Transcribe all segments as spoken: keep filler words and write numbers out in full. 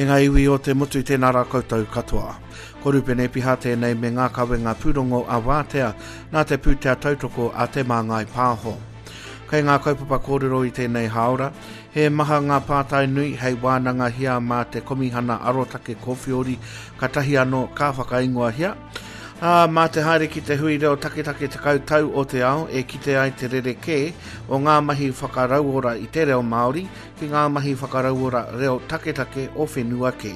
E ngā iwi o te motu, tēnā rā koutou katoa. Ko Rupene Piha tēnei me ngā kawenga pūrongo a Wātea nā te pūtea tautoko a Te Māngai Pāho. Kei ngā kaupapa kōrero i tēnei hāora, he maha ngā pātai nui hei wānangahia mā te Komihana Arotake Kōwhiori katahi anō ka whakaingoahia. Ā, mā te haere ki te hui reo taketake tekau tau o te ao e kite ai te rerekē o ngā mahi whakarauora i te reo Māori ki ngā mahi whakarauora reo taketake o whenua kē.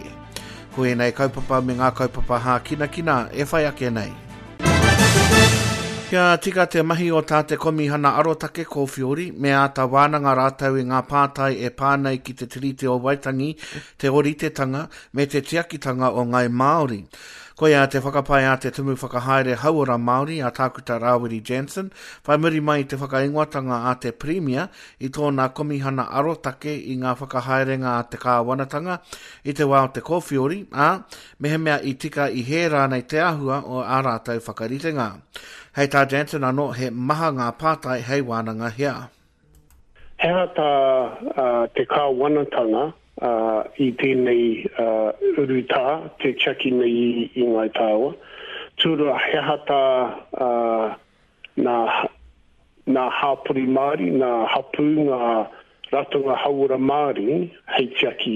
Ko ēnei kaupapa me ngā kaupapa hākinakina e whai ake nei. Kia tika te mahi o tā te Komihana Arotake Kōwhiori, me āta wānanga rātou i ngā pātai e pā nei ki te Tiriti o Waitangi, te ōritetanga, me te tiakitanga o Ngāi Māori. Koia te whakapae a te Tumu Whakahaere Hauora Māori a Tākuta Rāwiri Jansen, whai muri mai i te whakaingoatanga a te Pirimia i tōna Komihana Arotake i ngā whakahaerenga a te kāwanatanga i te wā o te kōwhiori, ā, mehemea i tika i hē rānei te āhua o ā rātou whakaritenga. Hei tā Jansen anō, he maha ngā pātai hei wānangahia. He aha tā te kāwanatanga i tēnei urutā, te tiaki nei i Ngāi Tāua? Tūrua, he aha tā nā hapori Māori, nā hapū, ngā ratonga hauora Māori hei tiaki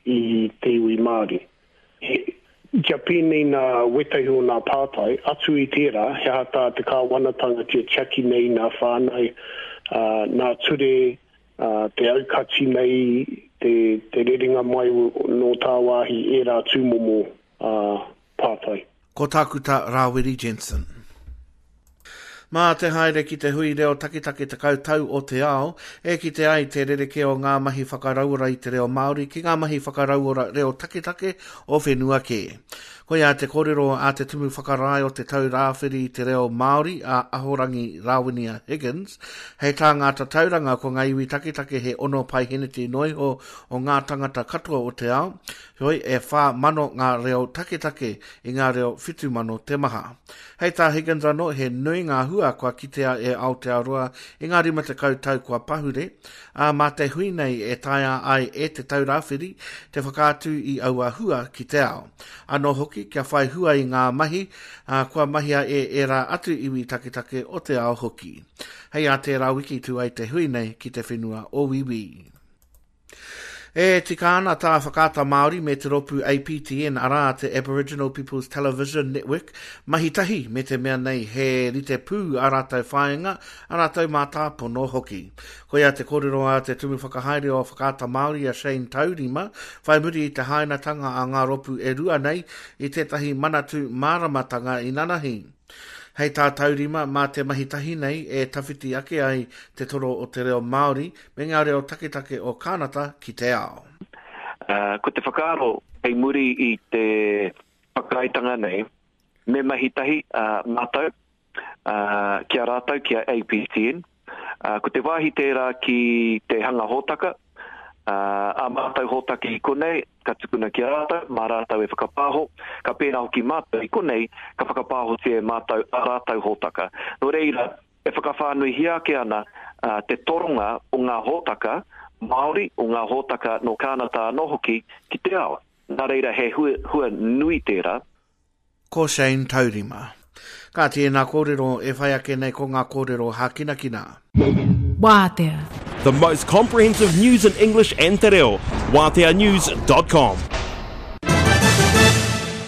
i te iwi Māori? Kia pēnei nā wētahi o nā pātai, atu i tērā, he aha tā te kāwanatanga tia tiaki nei nā whānau, nā ture, te aukati nei, te, te rerenga mai nō tāwāhi ērā tūmomo pātai. Ko Tākuta Rāwiri Jensen. Mā te haere ki te hui reo taketake tekau tau o te ao, e kite ai te rerekē o ngā mahi whakarauora i te reo Māori ki ngā mahi whakarauora reo taketake o whenua kē. Koia te kōrero a te Tumu Whakarae o te Tau Rāwhiri i te reo Māori a Ahorangi Rāwinia Higgins, hei tā ngā tatauranga ko ngā iwi taketake he ono paiheneti noa iho o ngā tangata katoa o te ao, heoi e whā mano ngā reo taketake i ngā reo whitu mano te maha. Hei tā Higgins anō, he nui ngā hua kua kitea e Aotearoa i ngā rima tekau tau kua pahure, ā, mā te hui nei e taea ai e Te Tau Rāwhiri te whakaatu i aua hua ki te ao. Anō hoki, kia whai hua i ngā mahi, ā, kua mahia e ērā atu iwi taketake o te ao hoki. Hei ā tērā wiki tū ai te hui nei ki te whenua o Wīwī. E tika ana tā Whakaata Māori me te rōpū A P T N, arā te Aboriginal Peoples Television Network, mahi tahi me te mea nei he rite pū ā rātou whāinga, ā rātou mātāpono hoki. Koia te kōrero a te Tumu Whakahaere o Whakaata Māori a Shane Taurima, whai muri i te hainatanga a ngā rōpū e rua nei i tētahi manatū māramatanga inanahi. Hei tā Taurima, mā te mahi tahi nei e tawhiti ake ai te toro o te reo Māori me ngā reo taketake o Kānata ki te ao. Uh, ko te whakaaro hei muri i te whakaaetanga nei, me mahi tahi uh, mātou, uh, ki a rātou, ki a A P T N. Uh, ko te wāhi tērā ki te hanga hōtaka, uh, a mātou hōtaka i konei, ka tukuna ki a rātou, mā rātou e whakapāho, ka pēnā hoki mātou i konei, ka whakapāhotia e mātou a rātou hōtaka. Nō reira, e whakawhānuihia ake ana uh, te toronga o ngā hōtaka Māori, o ngā hōtaka nō Kānata anō hoki ki te ao. Nā reira, he hua, hua nui tērā. Ko Shane Taurima. Ka tēnā kōrero e whai ake nei ko ngā kōrero hākinakina. Wātea. The most comprehensive news in English and te reo. Wātea news dot com.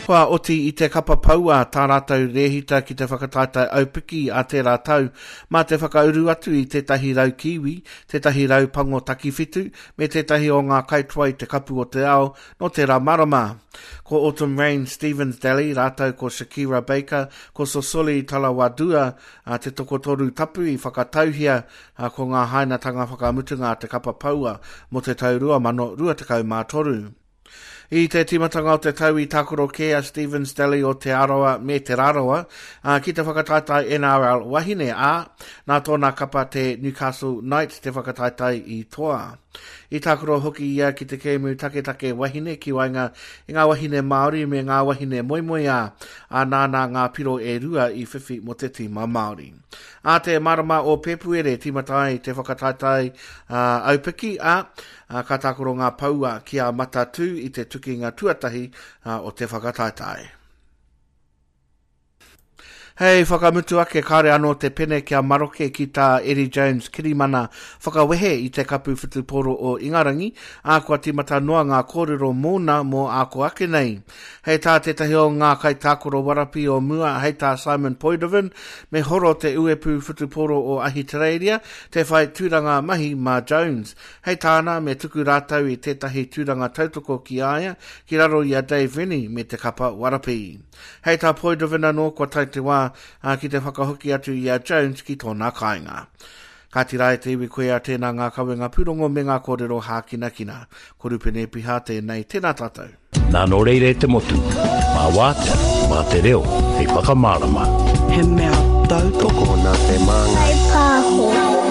Kua oti i te kapa paua tā rātou rēhita ki te whakataetae aupiki a tērā tau, mā te whakauru atu i tētahi rau kiwi, tētahi rau pango takiwhitu, me tētahi o ngā kaitoa i te kapu o te ao nō tērā marama. Ko Autumn Rain Stevens Daly, rātou ko Shakira Baker, ko Sosoli Talawadua, a te tokotoru tapu i whakatauhia a, ko ngā hainatanga whakamutunga a te kapa paua mō te tau rua mano rua tekau mā toru. I te tīmatanga o te tau i tākaro kē a Stevens Daly o Te Arawa me Te Rarawa, ā, ki te whakataetae N R L wahine, ā, nā tōna kapa te Newcastle Knights te whakataetae i toa. I tākaro hoki ia ki te kēmu taketake wahine ki waenga i ngā wahine Māori me ngā wahine moemoeā, ā, nāna ngā piro e rua i whiwhi mō te tīma Māori. Ā te marama o Pēpuere tīmata ai te whakataetae uh, aupiki, ā, uh, ka tākaro ngā paua ki a Matatū i te tukinga tuatahi uh, o te whakataetae. Hei whakamutu ake kāre anō te pene kia maroke ki tā Eddie Jones kirimana whakawehe i te kapu whutupōro o Ingarangi, ā kua tīmata noa ngā kōrero mōna mō āko ake nei. Hei tā tētahi o ngā kaitākaro warapi o mua, hei tā Simon Poidevin, me horo te uepu whutupōro o Ahitereiria, te whai tūranga mahi mā Jones. Hei tāna me tuku rātou i tētahi tūranga tautoko ki a ia, ki raro i a Dave Rennie me te kapa warapi. Hei tā Poidevin anō kua tae te wā ki te whakahoki atu i a Jones ki tōna kāinga. Ka tira e te iwi koe a tēnā ngā kawenga pūrongo me ngā kōrero hākinakina. Ko Rupene Piha tēnei, tēnā tātou. Nā nō reira e te motu, mā wātea, mā te reo, hei whakamārama. He mea tautoko nā te māngai. Pāho.